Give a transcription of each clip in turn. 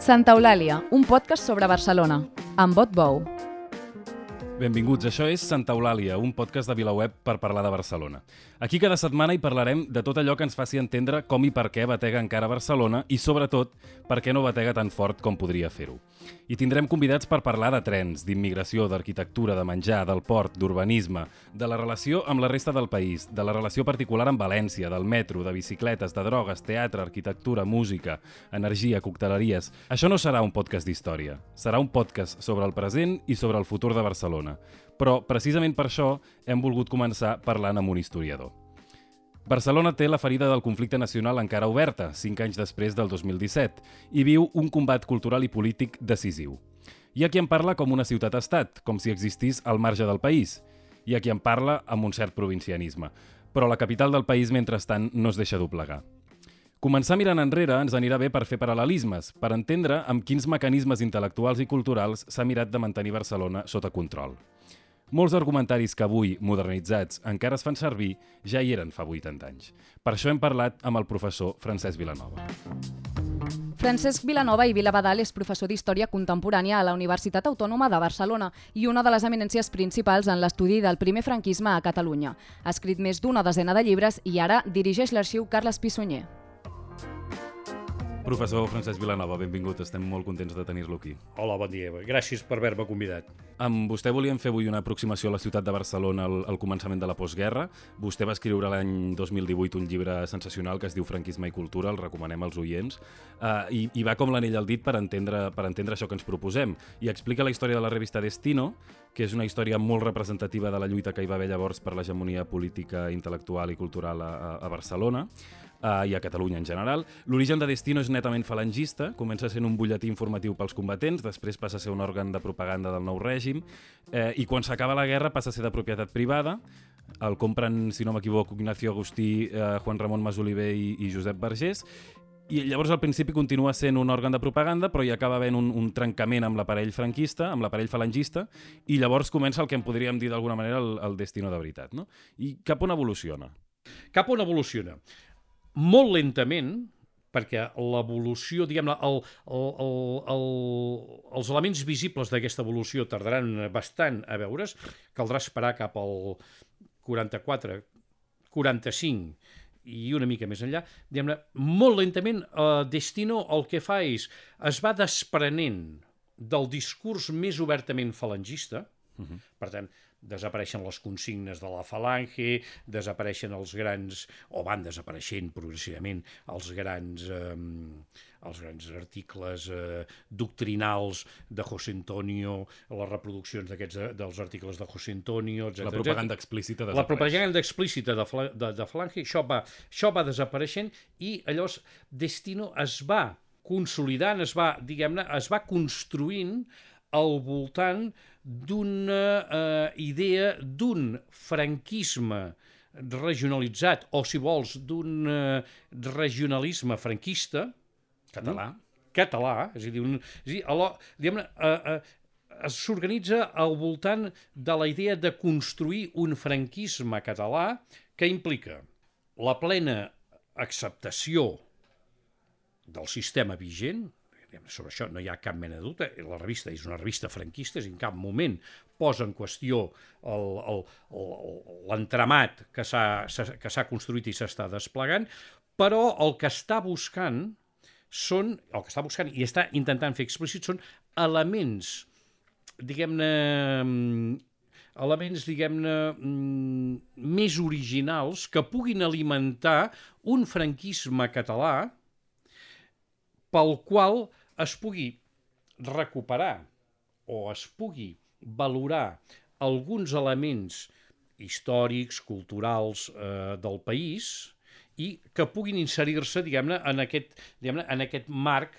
Santa Eulàlia, un podcast sobre Barcelona, amb Bot Bou. Benvinguts, això és Santa Eulàlia, un podcast de VilaWeb per parlar de Barcelona. Aquí cada setmana hi parlarem de tot allò que ens faci entendre com i per què batega encara Barcelona i, sobretot, per què no batega tan fort com podria fer-ho. I tindrem convidats per parlar de trens, d'immigració, d'arquitectura, de menjar, del port, d'urbanisme, de la relació amb la resta del país, de la relació particular amb València, del metro, de bicicletes, de drogues, teatre, arquitectura, música, energia, cocteleries... Això no serà un podcast d'història, serà un podcast sobre el present i sobre el futur de Barcelona. Però, precisament per això, hem volgut començar parlant amb un historiador. Barcelona té la ferida del conflicte nacional encara oberta, 5 anys després del 2017, i viu un combat cultural i polític decisiu. Hi ha qui en parla com una ciutat-estat, com si existís al marge del país. Hi ha qui en parla amb un cert provincianisme. Però la capital del país, mentrestant, no es deixa doblegar. Començar mirant enrere ens anirà bé per fer paral·lelismes, per entendre amb quins mecanismes intel·lectuals i culturals s'ha mirat de mantenir Barcelona sota control. Molts argumentaris que avui, modernitzats, encara es fan servir, ja hi eren fa 80 anys. Per això hem parlat amb el professor Francesc Vilanova. Francesc Vilanova i Vilabadal és professor d'Història Contemporània a la Universitat Autònoma de Barcelona i una de les eminències principals en l'estudi del primer franquisme a Catalunya. Ha escrit més d'una desena de llibres i ara dirigeix l'arxiu Carles Pissunyer. Professor Francesc Vilanova, benvingut. Estem molt contents de tenir-lo aquí. Hola, bon dia. Gràcies per haver-me convidat. Amb vostè volíem fer avui una aproximació a la ciutat de Barcelona al començament de la postguerra. Vostè va escriure l'any 2018 un llibre sensacional que es diu Franquisme i cultura, el recomanem als oients, i va com l'anell al dit per entendre això que ens proposem. I explica la història de la revista Destino, que és una història molt representativa de la lluita que hi va haver llavors per l'hegemonia política, intel·lectual i cultural a Barcelona, i a Catalunya en general. L'origen de Destino és netament falangista, comença sent un butlletí informatiu pels combatents, després passa a ser un òrgan de propaganda del nou règim, i quan s'acaba la guerra passa a ser de propietat privada. El compren, si no m'equivoco, Ignacio Agustí, Juan Ramon Masoliver i Josep Vergés, i llavors al principi continua sent un òrgan de propaganda, però hi acaba havent un trencament amb l'aparell franquista, amb l'aparell falangista, i llavors comença el que en podríem dir d'alguna manera el Destino de veritat, no? I cap on evoluciona? Cap on evoluciona? Molt lentament, perquè l'evolució, diguem-ne, els elements visibles d'aquesta evolució tardaran bastant a veure's, caldrà esperar cap al 44, 45 i una mica més enllà. Diguem-ne, molt lentament, Destino el que fa és, es va desprenent del discurs més obertament falangista, per tant, desapareixen les consignes de la falange, desapareixen els grans, o van desapareixent progressivament els grans articles doctrinals de José Antonio, les reproduccions dels articles de José Antonio, etc. La propaganda explícita desapareix. La propaganda explícita de falange, això va desapareixent i llavors Destino es va consolidant, es va construint al voltant d'una idea d'un franquisme regionalitzat, o si vols, d'un regionalisme franquista català, és a dir, s'organitza al voltant de la idea de construir un franquisme català que implica la plena acceptació del sistema vigent. Sobre això no hi ha cap mena de dubte. La revista és una revista franquista, en cap moment posa en qüestió l'entramat que s'ha construït i s'està desplegant, però el que està buscant i està intentant fer explícit són elements, més originals que puguin alimentar un franquisme català pel qual es pugui recuperar o es pugui valorar alguns elements històrics, culturals del país i que puguin inserir-se, en aquest marc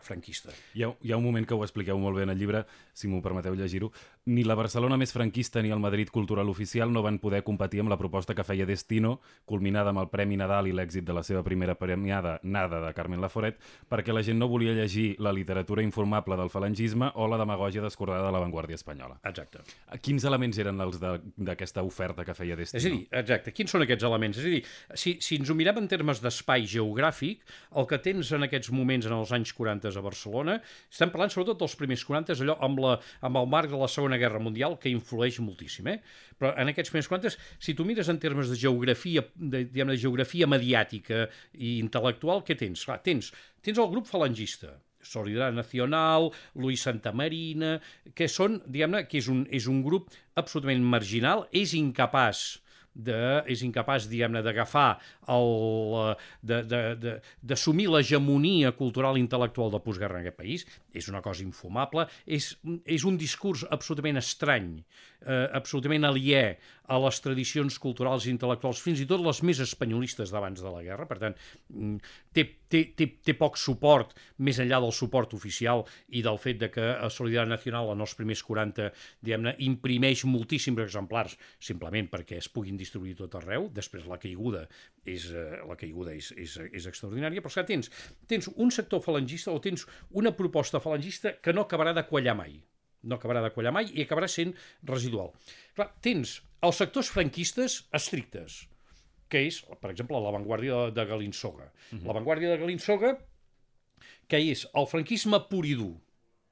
franquista. Hi ha un moment que ho expliqueu molt bé en el llibre, si m'ho permeteu llegir-ho, Ni la Barcelona més franquista ni el Madrid Cultural Oficial no van poder competir amb la proposta que feia Destino, culminada amb el Premi Nadal i l'èxit de la seva primera premiada, Nada, de Carmen Laforet, perquè la gent no volia llegir la literatura informable del falangisme o la demagògia descordada de l'avantguàrdia espanyola. Exacte. Quins elements eren els d'aquesta oferta que feia Destino? És a dir, exacte, quins són aquests elements? És a dir, si ens ho mirem en termes d'espai geogràfic, el que tens en aquests moments, en els anys 40 a Barcelona, estem parlant sobretot dels primers 40, allò amb el marc de la Segona Guerra Mundial, que influeix moltíssim, Però en aquests primers 40, si tu mires en termes de geografia, de geografia mediàtica i intel·lectual, què tens? Clar, tens el grup falangista, Solidaridad Nacional, Luis Santamarina, que són, diguem-ne, que és un grup absolutament marginal, és incapaç, diguem-ne, d'agafar d'assumir l'hegemonia cultural i intel·lectual de postguerra en aquest país. És una cosa infumable, és un discurs absolutament estrany, absolutament aliè a les tradicions culturals i intel·lectuals, fins i tot les més espanyolistes d'abans de la guerra. Per tant, té poc suport, més enllà del suport oficial i del fet de que Solidaritat Nacional en els primers 40, diguem-ne, imprimeix moltíssims exemplars, simplement perquè es puguin distribuir tot arreu. Després la caiguda és extraordinària, però és que tens un sector falangista o tens una proposta falangista que no acabarà de quallar mai. No acabarà de quallar mai i acabarà sent residual. Clar, tens els sectors franquistes estrictes, que és, per exemple, l'avantguàrdia de Galinsoga. L'avantguàrdia de Galinsoga, que és el franquisme pur i dur.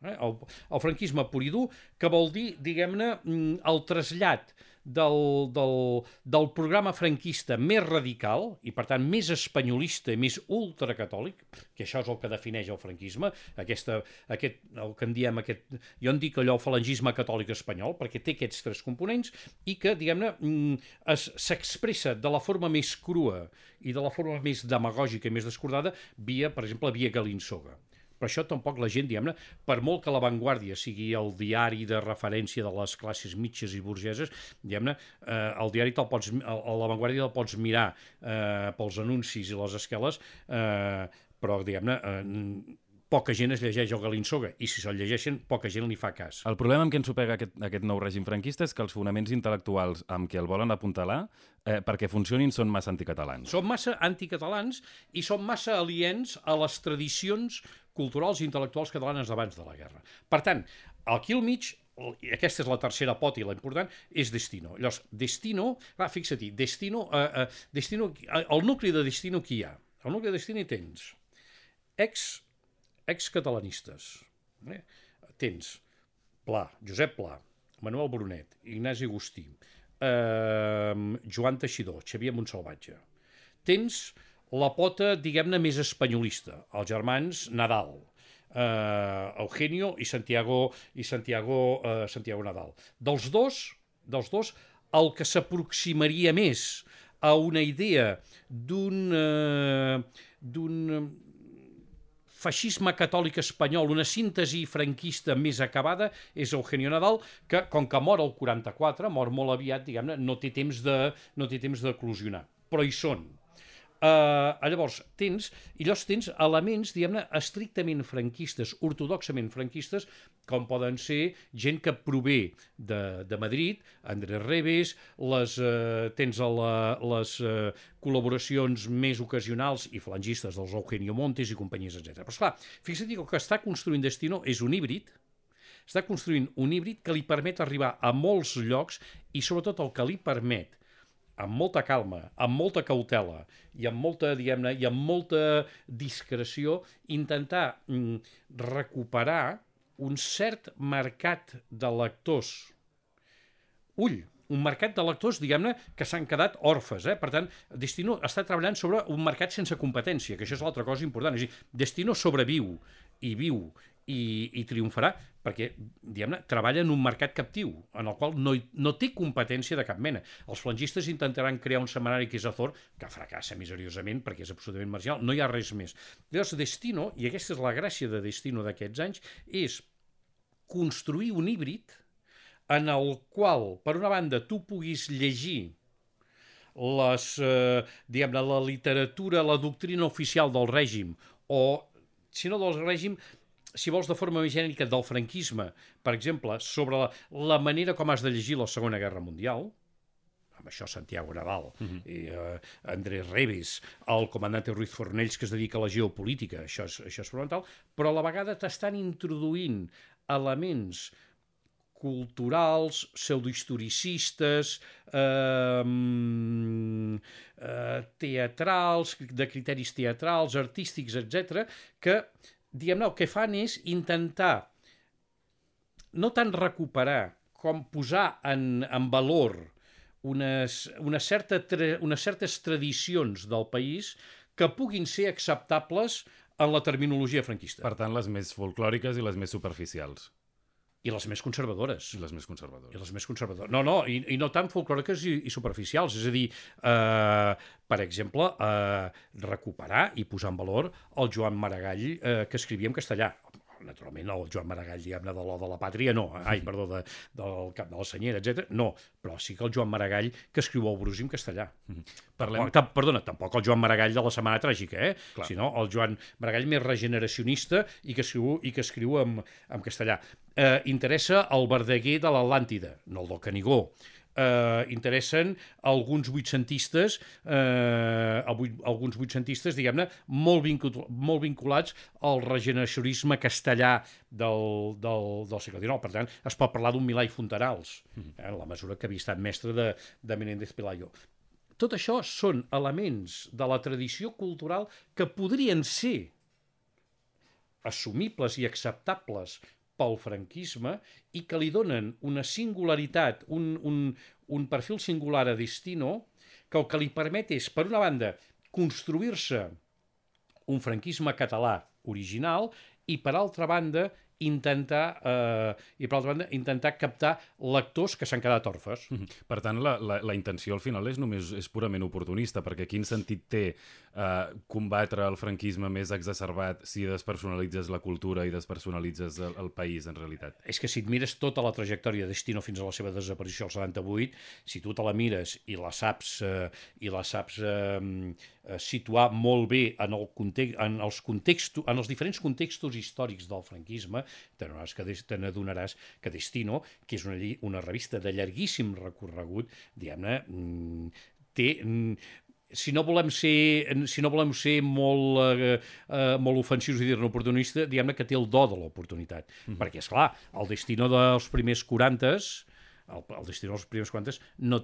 El franquisme pur i dur, que vol dir, diguem-ne, el trasllat del programa franquista més radical i, per tant, més espanyolista i més ultracatòlic, que això és el que defineix el franquisme, el que en diem jo en dic allò falangisme catòlic espanyol, perquè té aquests tres components i que, diguem-ne, s'expressa de la forma més crua i de la forma més demagògica i més descordada via, per exemple, via Galinsoga. Però això tampoc la gent, diguem-ne, per molt que l'avantguàrdia sigui el diari de referència de les classes mitges i burgeses, diguem-ne, el diari l'avantguàrdia el pots mirar pels anuncis i les esqueles, però, diguem-ne, poca gent es llegeix el Galinsoga, i si se'l llegeixen, poca gent li fa cas. El problema amb què ens supega aquest nou règim franquista és que els fonaments intel·lectuals amb què el volen apuntalar, perquè funcionin, són massa anticatalans. Són massa anticatalans i són massa aliens a les tradicions culturals i intel·lectuals catalanes d'abans de la guerra. Per tant, aquí al mig, i aquesta és la tercera pota i la important, és Destino. Llavors, Destino, fixa-t'hi, el nucli de Destino qui hi ha? El nucli de Destino hi tens ex-catalanistes. Tens Pla, Josep Pla, Manuel Brunet, Ignasi Agustí, Joan Teixidor, Xavier Montsalvatge. Tens la pota, diguem-ne, més espanyolista, els germans Nadal, Eugenio i Santiago Nadal. Dels dos, el que s'aproximaria més a una idea d'un feixisme catòlic espanyol, una síntesi franquista més acabada, és Eugenio Nadal, que, com que mor el 44, mor molt aviat, diguem-ne, no té temps d'eclosionar, però hi són. Llavors, tens elements, diguem-ne, estrictament franquistes, ortodoxament franquistes, com poden ser gent que prové de Madrid, Andrés Revés, tens les col·laboracions més ocasionals i falangistes dels Eugenio Montes i companyies, etc. Però, esclar, fixa't que el que està construint Destino és un híbrid, està construint un híbrid que li permet arribar a molts llocs i, sobretot, el que li permet, amb molta calma, amb molta cautela i amb molta, diguem-ne, i amb molta discreció, intentar recuperar un cert mercat de lectors. Un mercat de lectors, diguem-ne, que s'han quedat orfes. Per tant, Destino està treballant sobre un mercat sense competència, que això és l'altra cosa important. És a dir, Destino sobreviu i viu i triomfarà perquè, diguem-ne, treballa en un mercat captiu, en el qual no té competència de cap mena. Els falangistes intentaran crear un setmanari que és Azor, que fracassa miseriosament perquè és absolutament marginal, no hi ha res més. Llavors, Destino, i aquesta és la gràcia de Destino d'aquests anys, és construir un híbrid en el qual, per una banda, tu puguis llegir diguem-ne, la literatura, la doctrina oficial del règim, o, si no del règim, si vols, de forma més genèrica del franquisme, per exemple, sobre la manera com has de llegir la Segona Guerra Mundial, amb això Santiago Nadal i Andrés Revis, el comandante Ruiz Fornells, que es dedica a la geopolítica, això és fonamental, però a la vegada t'estan introduint elements culturals, pseudohistoricistes, teatrals, de criteris teatrals, artístics, etc., que, diguem-ne, el que fan és intentar no tant recuperar com posar en valor unes certes tradicions del país que puguin ser acceptables en la terminologia franquista. Per tant, les més folclòriques i les més superficials. I les més conservadores. I les més conservadores. I les més conservadores. No, i no tant folclòriques i superficials. És a dir, per exemple, recuperar i posar en valor el Joan Maragall que escrivia en castellà. Naturalment, el Joan Maragall, diguem-ne, de l'O de la Pàtria, no. Perdó, del Cap de la Senyera, etc. No, però sí que el Joan Maragall que escriu el Brusi en castellà. Perdona, tampoc el Joan Maragall de la Setmana Tràgica, sinó el Joan Maragall més regeneracionista i que escriu en castellà. Interessa el Verdaguer de l'Atlàntida, no el del Canigó. Interessen alguns vuitcentistes, diguem-ne, molt vinculats al regeneracionisme castellà del segle XIX. Per tant, es pot parlar d'un Milà i Fontanals, en la mesura que havia estat mestre de Menéndez Pelayo. Tot això són elements de la tradició cultural que podrien ser assumibles i acceptables pel franquisme i que li donen una singularitat, un perfil singular a Destino, que el que li permet és, per una banda, construir-se un franquisme català original i, per altra banda, intentar captar lectors que s'han quedat orfes. Per tant, la intenció al final és purament oportunista, perquè quin sentit té combatre el franquisme més exacerbat si despersonalitzes la cultura i despersonalitzes el país, en realitat? És que si et mires tota la trajectòria de Destino fins a la seva desaparició al 78, si tu te la mires i la saps situar molt bé en els diferents contextos històrics del franquisme, te n'adonaràs que Destino, que és una revista de llarguíssim recorregut, diguem-ne, té... Si no volem ser molt ofensius i dir-ne oportunista, diguem-ne que té el do de l'oportunitat. Perquè, esclar, el Destino dels primers 40, no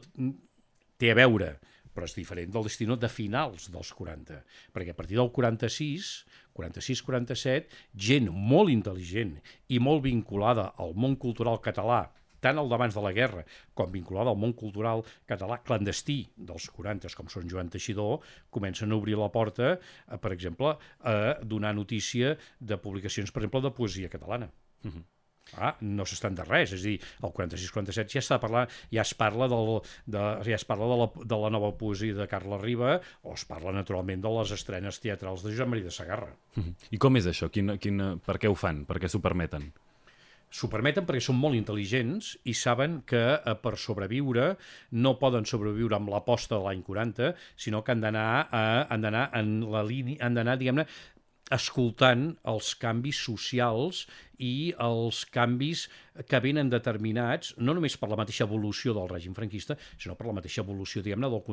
té a veure, però és diferent del Destino de finals dels 40, perquè a partir del 46-47, gent molt intel·ligent i molt vinculada al món cultural català, tant el d'abans de la guerra com vinculada al món cultural català clandestí dels 40, com són Joan Teixidor, comencen a obrir la porta, per exemple, a donar notícia de publicacions, per exemple, de poesia catalana. No s'estan de res, és a dir, el 46-47 ja es parla de la nova poesia de Carla Riba o es parla naturalment de les estrenes teatrals de Josep Maria de Sagarra. I com és això? Per què ho fan? Per què s'ho permeten? S'ho permeten perquè són molt intel·ligents i saben que per sobreviure no poden sobreviure amb l'aposta de l'any 40, sinó que han d'anar, diguem-ne, escoltant els canvis socials i els canvis que venen determinats, no només per la mateixa evolució del règim franquista, sinó per la mateixa evolució, diguem-ne, del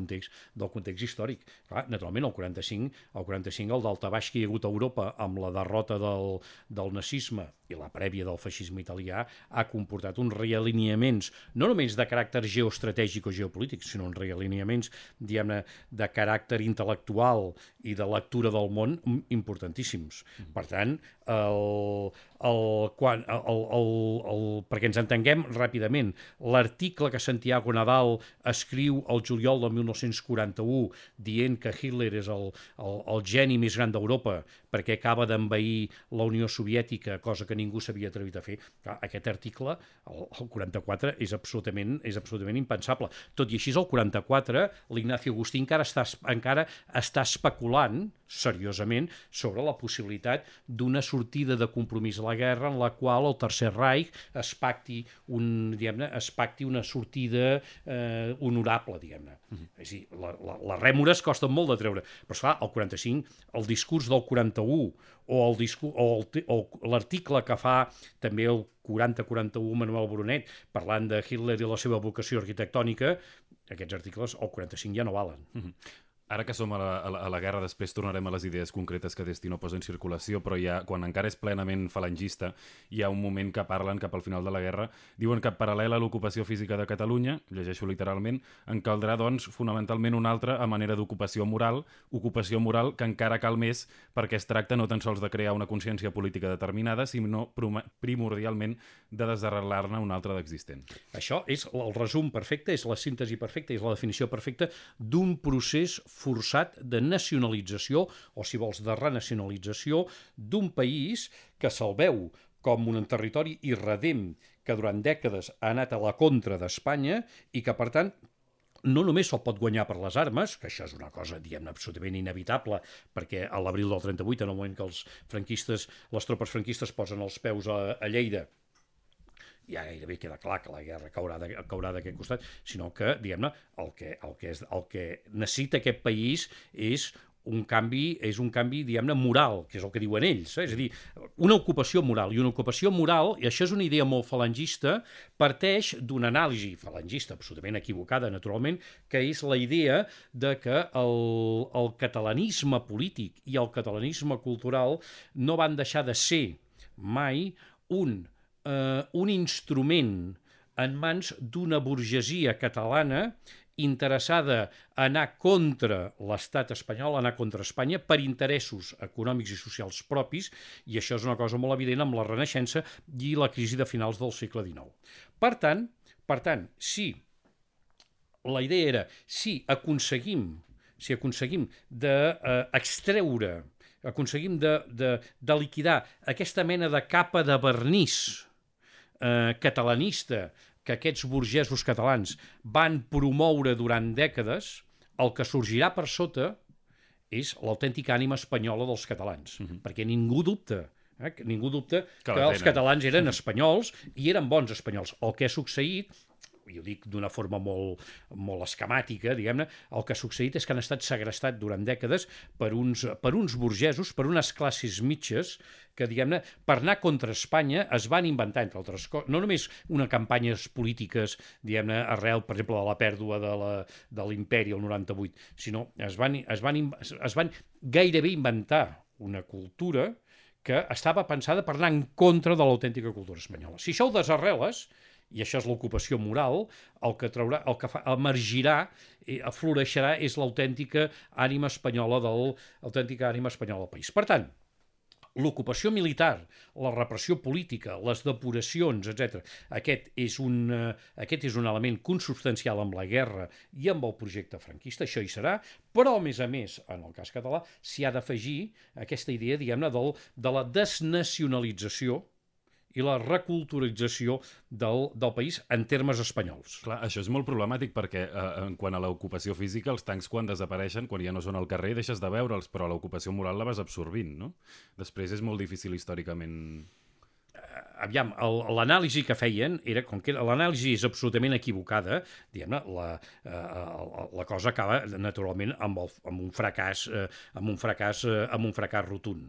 context històric. Clar, naturalment, el 45 el daltabaix que hi ha hagut a Europa amb la derrota del nazisme i la prèvia del feixisme italià ha comportat uns realineaments, no només de caràcter geoestratègic o geopolític, sinó uns realineaments, diguem-ne, de caràcter intel·lectual i de lectura del món importantíssims. Per tant, perquè ens entenguem ràpidament, l'article que Santiago Nadal escriu el juliol del 1941 dient que Hitler és el geni més gran d'Europa perquè acaba d'envair la Unió Soviètica, cosa que ningú s'havia atrevit a fer. Clar, aquest article, el 44, és absolutament impensable. Tot i així, el 44, l'Ignacio Agustí encara està especulant seriosament sobre la possibilitat d'una sortida de compromís a la guerra en la qual el Tercer Reich es pacti una sortida honorable, diguem-ne. És a dir, les rèmores costen molt de treure, però esclar, el 45, el discurs del 41 o l'article que fa també el 40-41 Manuel Brunet parlant de Hitler i la seva vocació arquitectònica, aquests articles al 45 ja no valen. Ara que som a la guerra, després tornarem a les idees concretes que Destino posa en circulació, però quan encara és plenament falangista, hi ha un moment que parlen cap al final de la guerra, diuen que paral·lel a l'ocupació física de Catalunya, llegeixo literalment, en caldrà, doncs, fonamentalment una altra a manera d'ocupació moral que encara cal més perquè es tracta no tan sols de crear una consciència política determinada, sinó primordialment de desarrelar-ne una altra d'existent. Això és el resum perfecte, és la síntesi perfecta, és la definició perfecta d'un procés forçat de nacionalització, o si vols, de renacionalització d'un país que se'l veu com un territori irredem que durant dècades ha anat a la contra d'Espanya i que, per tant, no només se'l pot guanyar per les armes, que això és una cosa, diguem-ne, absolutament inevitable, perquè a l'abril del 38, en el moment que les tropes franquistes posen els peus a Lleida, ja gairebé queda clar que la guerra caurà d'aquest costat, sinó que, diguem-ne, el que necessita aquest país és un canvi, diguem-ne, moral, que és el que diuen ells. És a dir, una ocupació moral. I una ocupació moral, i això és una idea molt falangista, parteix d'una anàlisi falangista absolutament equivocada, naturalment, que és la idea de que el catalanisme polític i el catalanisme cultural no van deixar de ser mai un instrument en mans d'una burgesia catalana interessada a anar contra l'estat espanyol, a anar contra Espanya per interessos econòmics i socials propis, i això és una cosa molt evident amb la Renaixença i la crisi de finals del segle XIX. Per tant, si la idea era, si aconseguim d'extreure, aconseguim de liquidar aquesta mena de capa de vernís catalanista que aquests burgesos catalans van promoure durant dècades, el que sorgirà per sota és l'autèntica ànima espanyola dels catalans, perquè ningú dubta que els catalans eren espanyols i eren bons espanyols. El que ha succeït, i ho dic d'una forma molt esquemàtica, diguem-ne, el que ha succeït és que han estat segrestats durant dècades per uns burgesos, per unes classes mitges que, diguem-ne, per anar contra Espanya es van inventar, entre altres coses, no només una campanyes polítiques, diguem-ne, arrel, per exemple, de la pèrdua de l'imperi el 98, sinó es van gairebé inventar una cultura que estava pensada per anar en contra de l'autèntica cultura espanyola. Si això ho desarreles, i això és l'ocupació moral, el que emergirà, afloreixerà, és l'autèntica ànima espanyola del país. Per tant, l'ocupació militar, la repressió política, les depuracions, etc. Aquest és un element consubstancial amb la guerra i amb el projecte franquista, això hi serà, però, a més, en el cas català, s'hi ha d'afegir aquesta idea, diguem-ne, de la desnacionalització i la reculturalització del país en termes espanyols. Clar, això és molt problemàtic perquè en quant a l'ocupació física, els tancs quan desapareixen, quan ja no són al carrer, deixes de veure'ls, però l'ocupació moral la vas absorbint, no? Després és molt difícil històricament... Aviam, l'anàlisi que feien era, com que l'anàlisi és absolutament equivocada, diguem-ne, la cosa acaba naturalment amb un fracàs rotund.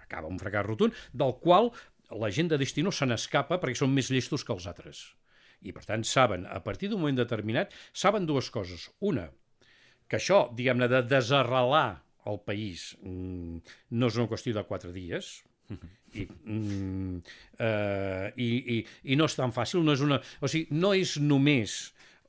Acaba un fracàs rotund, del qual la gent de Destino se n'escapa perquè són més llestos que els altres. I, per tant, saben, a partir d'un moment determinat, saben dues coses. Una, que això, diguem-ne, de desarrelar el país no és una qüestió de 4 dies, i no és tan fàcil, no és només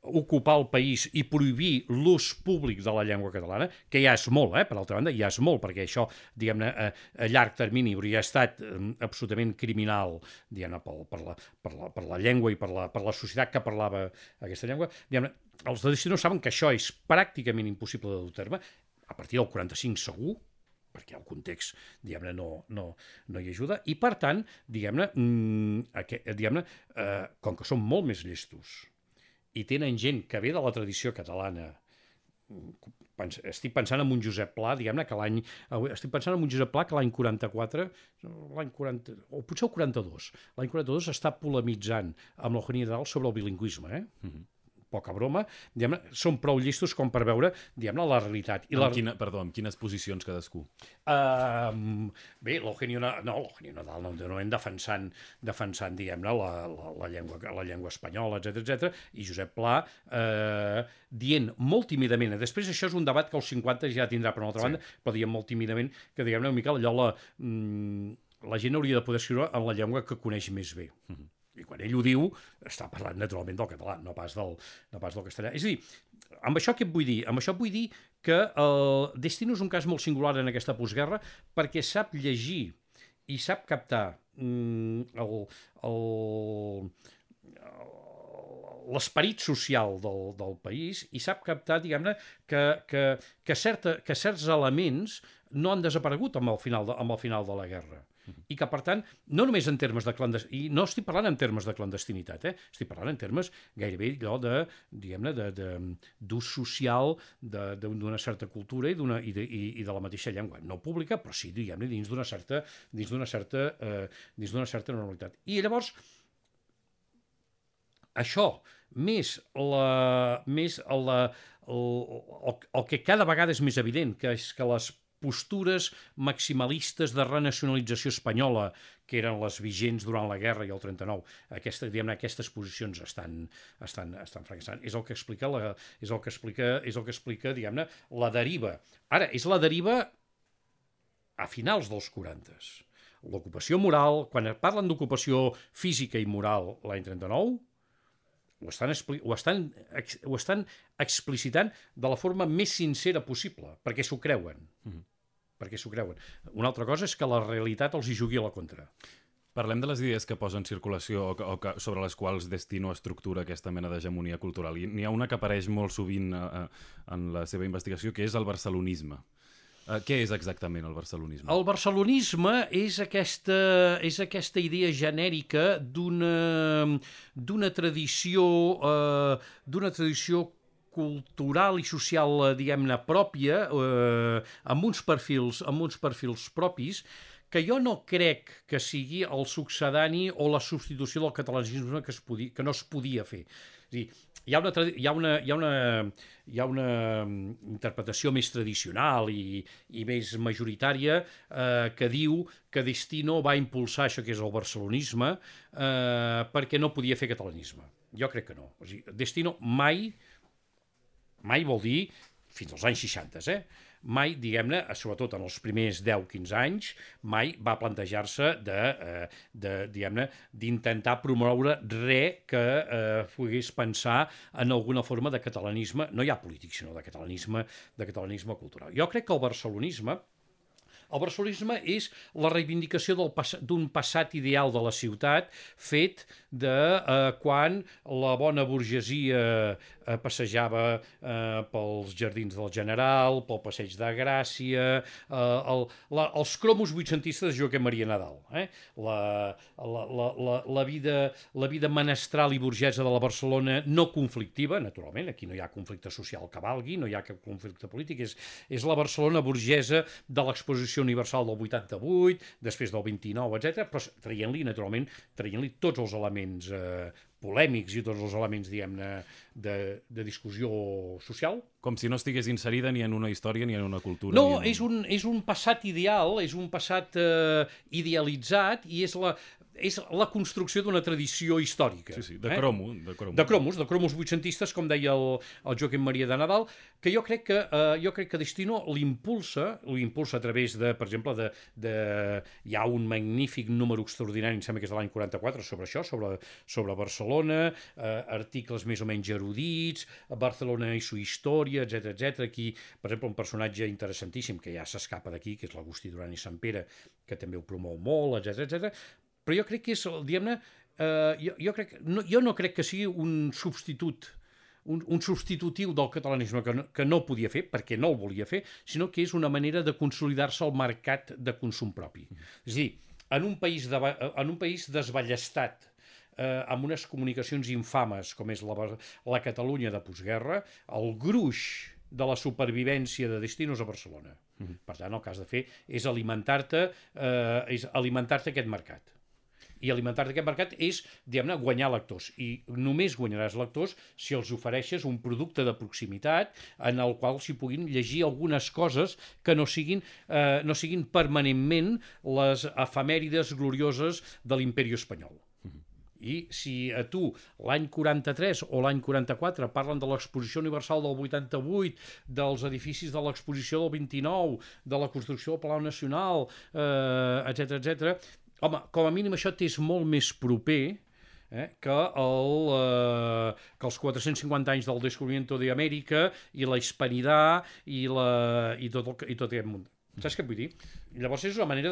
ocupar el país i prohibir l'ús públic de la llengua catalana, que ja és molt, per altra banda, ja és molt, perquè això, diguem-ne, a llarg termini hauria estat absolutament criminal, diguem-ne, per la llengua i per la societat que parlava aquesta llengua. Diguem-ne, els de Destino saben que això és pràcticament impossible de dur a terme, a partir del 45 segur, perquè el context, diguem-ne, no hi ajuda, i per tant, diguem-ne, com que són molt més llestos i tenen gent que ve de la tradició catalana estic pensant en un Josep Pla, diguem-ne, que estic pensant en un Josep Pla que l'any 44, l'any 40, o potser el 42, l'any 42 està polemitzant amb l'Eugenio Nadal sobre el bilingüisme, poca broma, diguem-ne, són prou llestos com per veure, diguem-ne, la realitat. Amb quines posicions cadascú? Bé, l'Eugenio Nadal no hem defensant diguem-ne, la llengua espanyola, etc, i Josep Pla dient molt tímidament, després això és un debat que als 50 ja tindrà per una altra banda, però dient molt tímidament que, diguem-ne, una mica allò la gent hauria de poder escriure en la llengua que coneix més bé. I quan ell ho diu, està parlant naturalment del català, no pas del castellà. És a dir, amb això què vull dir? Amb això vull dir que el Destino és un cas molt singular en aquesta postguerra perquè sap llegir i sap captar l'esperit social del país i sap captar, diguem-ne, que certs elements no han desaparegut amb el final de la guerra. I que, per tant, no només en termes de clandestinitat, i no estic parlant en termes de clandestinitat, estic parlant en termes gairebé allò de, diguem-ne, d'ús social d'una certa cultura i de la mateixa llengua. No pública, però sí, diguem-ne, dins d'una certa normalitat. I llavors, això, més el que cada vegada és més evident, que és que les postures maximalistes de renacionalització espanyola, que eren les vigents durant la guerra i el 39, aquestes posicions estan fracassant. És el que explica, diguem-ne, la deriva. Ara, és la deriva a finals dels 40s. L'ocupació moral, quan parlen d'ocupació física i moral l'any 39, ho estan explicitant de la forma més sincera possible, perquè s'ho creuen. Una altra cosa és que la realitat els hi jugui a la contra. Parlem de les idees que posa en circulació sobre les quals Destino estructura aquesta mena d'hegemonia cultural. I n'hi ha una que apareix molt sovint en la seva investigació, que és el barcelonisme. Què és exactament el barcelonisme? El barcelonisme és aquesta idea genèrica d'una tradició cultural i social, diguem-ne, pròpia, amb uns perfils propis, que jo no crec que sigui el succedani o la substitució del catalanisme que no es podia fer. És a dir, hi ha una interpretació més tradicional i més majoritària que diu que Destino va impulsar això que és el barcelonisme perquè no podia fer catalanisme. Jo crec que no. O sigui, Destino mai vol dir, fins als anys 60, mai, diguem-ne, sobretot en els primers 10-15 anys, mai va plantejar-se diguem-ne, d'intentar promoure res que pogués pensar en alguna forma de catalanisme, no ja polític, sinó de catalanisme cultural. Jo crec que el barcelonisme és la reivindicació d'un passat ideal de la ciutat fet de quan la bona burgesia passejava pels jardins del General, pel passeig de Gràcia, els cromos vuitcentistes de Joaquim Maria Nadal. La vida menestral i burgesa de la Barcelona no conflictiva, naturalment, aquí no hi ha conflicte social que valgui, no hi ha cap conflicte polític, és la Barcelona burgesa de l'exposició universal del 88, després del 29, etc., però traient-li tots els elements polèmics i tots els elements, diguem-ne, de discussió social. Com si no estigués inserida ni en una història ni en una cultura. No, és un passat ideal, és un passat idealitzat i és la construcció d'una tradició històrica. Sí, de cromos. De cromos vuitcentistes, com deia el Joaquim Maria de Nadal, que jo crec que Destino l'impulsa a través de, per exemple, hi ha un magnífic número extraordinari, em sembla que és de l'any 44, sobre això, sobre Barcelona, articles més o menys erudits, Barcelona i su història, etc. Aquí, per exemple, un personatge interessantíssim que ja s'escapa d'aquí, que és l'Agustí Duran i Sampere, que també ho promou molt, etc. Però jo crec que és, diguem-ne, jo no crec que sigui un substitutiu del catalanisme que no podia fer, perquè no el volia fer, sinó que és una manera de consolidar-se al mercat de consum propi. És a dir, en un país desballestat, amb unes comunicacions infames com és la Catalunya de postguerra, el gruix de la supervivència de destinos a Barcelona. Per tant, el que has de fer és alimentar-te aquest mercat. I alimentar-te aquest mercat és, diguem-ne, guanyar lectors. I només guanyaràs lectors si els ofereixes un producte de proximitat en el qual s'hi puguin llegir algunes coses que no siguin permanentment les efemèrides glorioses de l'imperi espanyol. I si a tu l'any 43 o l'any 44 parlen de l'exposició universal del 88, dels edificis de l'exposició del 29, de la construcció del Palau Nacional, etc., home, com a mínim això t'és molt més proper que els 450 anys del descobrimiento d'Amèrica i la hispanidad i tot aquest munt. Saps què vull dir? Llavors és una manera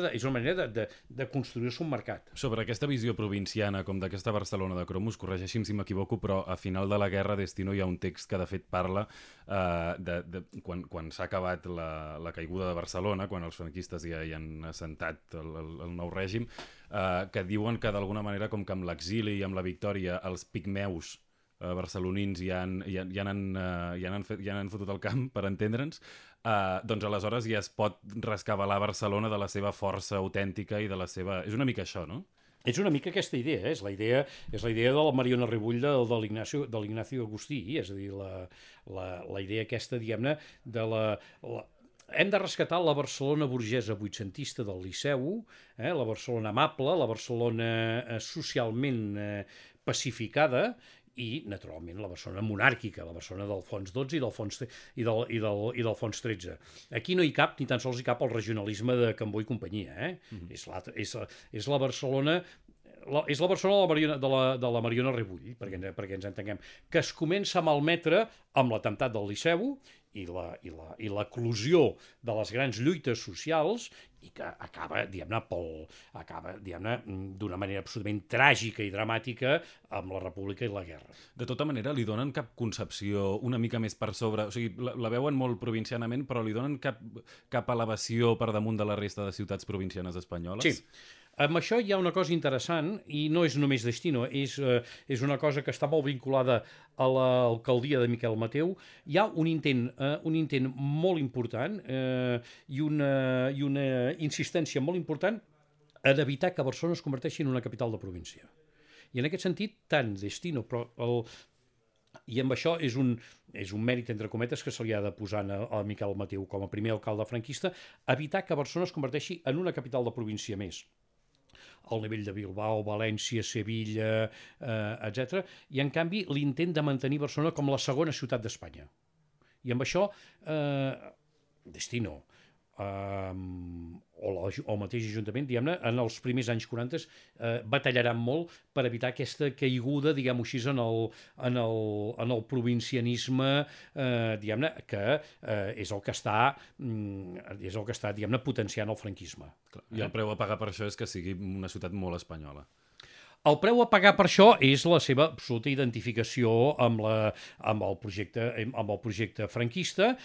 de construir-se un mercat. Sobre aquesta visió provinciana, com d'aquesta Barcelona de cromos, corregeixi'm si m'equivoco, però a final de la guerra Destino hi ha un text que de fet parla quan s'ha acabat la caiguda de Barcelona, quan els franquistes hi han assentat el nou règim, que diuen que d'alguna manera com que amb l'exili i amb la victòria els pigmeus barcelonins ja han fotut el camp, per entendre'ns, doncs aleshores ja es pot rescabalar Barcelona de la seva força autèntica i de la seva... És una mica això, no? És una mica aquesta idea, és la idea de la Mariona Rebull de l'Ignacio Agustí, és a dir, la idea aquesta, diguem-ne, hem de rescatar la Barcelona burgesa vuitcentista del Liceu, la Barcelona amable, la Barcelona socialment pacificada, i, naturalment, la Barcelona monàrquica, la Barcelona d'Alfons XII i d'Alfons XIII. Aquí no hi cap, ni tan sols hi cap el regionalisme de Cambó i companyia. És la Barcelona... És la Barcelona de la Mariona Rebull, perquè ens entenguem, que es comença a malmetre amb l'atemptat del Liceu i l'eclosió de les grans lluites socials i que acaba, diguem-ne, d'una manera absolutament tràgica i dramàtica amb la República i la guerra. De tota manera, li donen cap concepció una mica més per sobre? O sigui, la veuen molt provincianament, però li donen cap elevació per damunt de la resta de ciutats provincianes espanyoles? Sí. Amb això hi ha una cosa interessant, i no és només Destino, és una cosa que està molt vinculada a l'alcaldia de Miquel Mateu. Hi ha un intent molt important i una insistència molt important en evitar que Barcelona es converteixi en una capital de província. I en aquest sentit, tant Destino, i amb això és un mèrit, entre cometes, que se li ha de posar a Miquel Mateu com a primer alcalde franquista, evitar que Barcelona es converteixi en una capital de província més, al nivell de Bilbao, València, Sevilla, etc. I, en canvi, l'intent de mantenir Barcelona com la segona ciutat d'Espanya. I amb això, Destino o el mateix Ajuntament, diguem-ne, en els primers anys 40 batallaran molt per evitar aquesta caiguda, diguem-ho així, en el provincianisme, diguem-ne, que és el que està, diguem-ne, potenciant el franquisme. I el preu a pagar per això és que sigui una ciutat molt espanyola. El preu a pagar per això és la seva absoluta identificació amb el projecte franquista,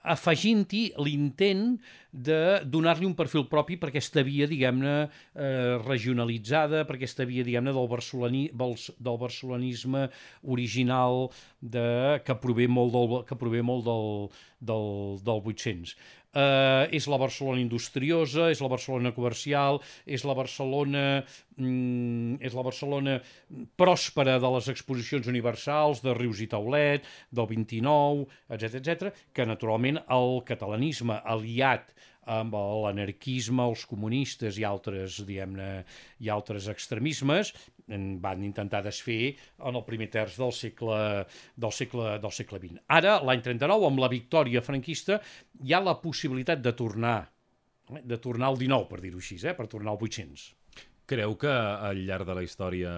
afegint-hi l'intent de donar-li un perfil propi per aquesta via, diguem-ne, regionalitzada, per aquesta via, diguem-ne, del barcelonisme original que prové molt del 800. És la Barcelona industriosa, és la Barcelona comercial, és la Barcelona pròspera de les exposicions universals, de Rius i Taulet, del 29, etc., que naturalment el catalanisme aliat amb l'anarquisme, els comunistes i altres, diguem-ne, i altres extremismes van intentar desfer en el primer terç del segle XX. Ara, l'any 39, amb la victòria franquista, hi ha la possibilitat de tornar al 19, per dir-ho així, per tornar al 800. Creu que al llarg de la història,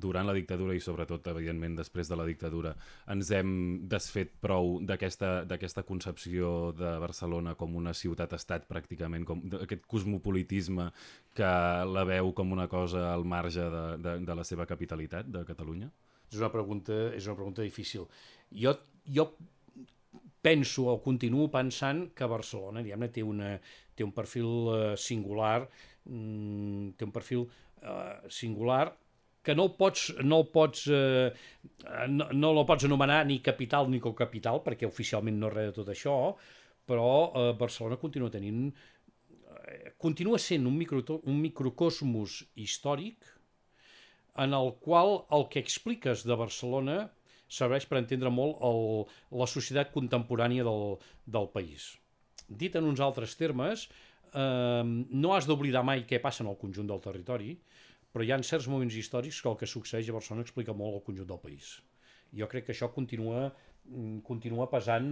durant la dictadura i sobretot, evidentment, després de la dictadura, ens hem desfet prou d'aquesta concepció de Barcelona com una ciutat-estat, pràcticament, com aquest cosmopolitisme que la veu com una cosa al marge de la seva capitalitat, de Catalunya? És una pregunta difícil. Jo penso o continuo pensant que Barcelona, diguem-ne, té un perfil singular, que no el pots anomenar ni capital ni cocapital, perquè oficialment no és res de tot això, però Barcelona continua sent un microcosmos històric en el qual el que expliques de Barcelona serveix per entendre molt la societat contemporània del país. Dit en uns altres termes, no has d'oblidar mai què passa en el conjunt del territori, però hi ha certs moments històrics que el que succeeix a Barcelona explica molt el conjunt del país. Jo crec que això continua pesant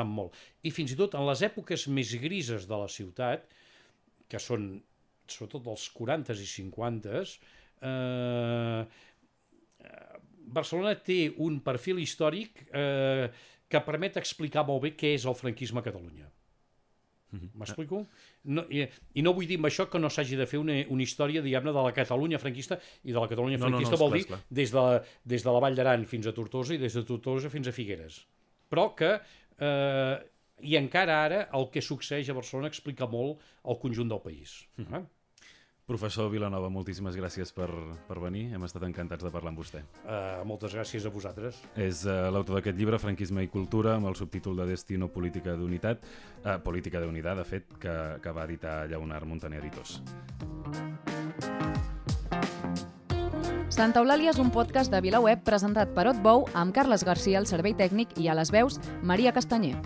molt. I fins i tot en les èpoques més grises de la ciutat, que són sobretot dels 40s i 50s, Barcelona té un perfil històric que permet explicar molt bé què és el franquisme a Catalunya. M'explico? I no vull dir amb això que no s'hagi de fer una història, diguem-ne, de la Catalunya franquista, i de la Catalunya franquista vol dir des de la Vall d'Aran fins a Tortosa i des de Tortosa fins a Figueres. Però que, i encara ara, el que succeeix a Barcelona explica molt el conjunt del país. Professor Vilanova, moltíssimes gràcies per venir. Hem estat encantats de parlar amb vostè. Moltes gràcies a vosaltres. És l'autor d'aquest llibre, Franquisme i cultura, amb el subtítol de Destino Política de Unitat, Política de Unidad, de fet, que va editar Lleonard Montaner Editors. Santa Eulàlia és un podcast de VilaWeb presentat per Otbou amb Carles Garcia al servei tècnic i a les veus Maria Castanyer.